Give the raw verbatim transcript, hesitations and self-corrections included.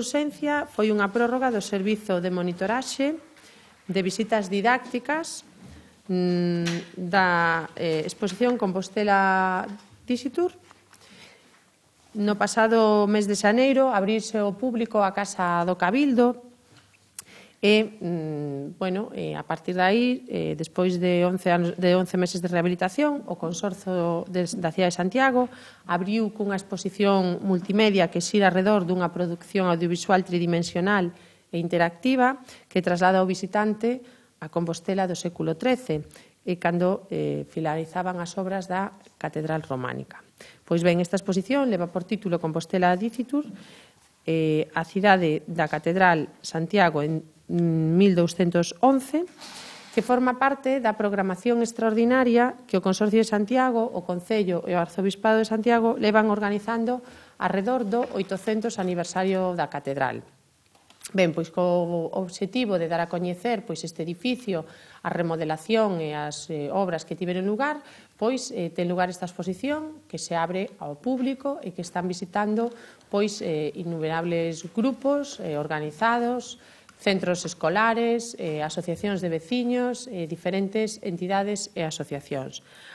urxencia foi unha prórroga do servizo de monitoraxe de visitas didácticas da eh, exposición Compostela Dixitour. No pasado mes de xaneiro abrirse ao público a Casa do Cabildo e, bueno, a partir de aí, despois de once meses de rehabilitación, o Consorcio da Cidade de Santiago abriu cunha exposición multimedia que xira arredor dunha produción audiovisual tridimensional e interactiva que traslada ao visitante a Compostela do século trece e cando finalizaban as obras da Catedral Románica. Pois ben, esta exposición leva por título Compostela Dixitour, a cidade da Catedral Santiago en mil douscentos once, que forma parte da programación extraordinaria que o Consorcio de Santiago, o Concello e o Arzobispado de Santiago levan organizando arredor do oitocentos aniversario da Catedral. Ben, pois co obxectivo de dar a coñecer pois este edificio, a remodelación e as obras que tiveron lugar, pois ten lugar esta exposición que se abre ao público e que están visitando pois innumerables grupos organizados, centros escolares, asociacións de veciños, diferentes entidades e asociacións.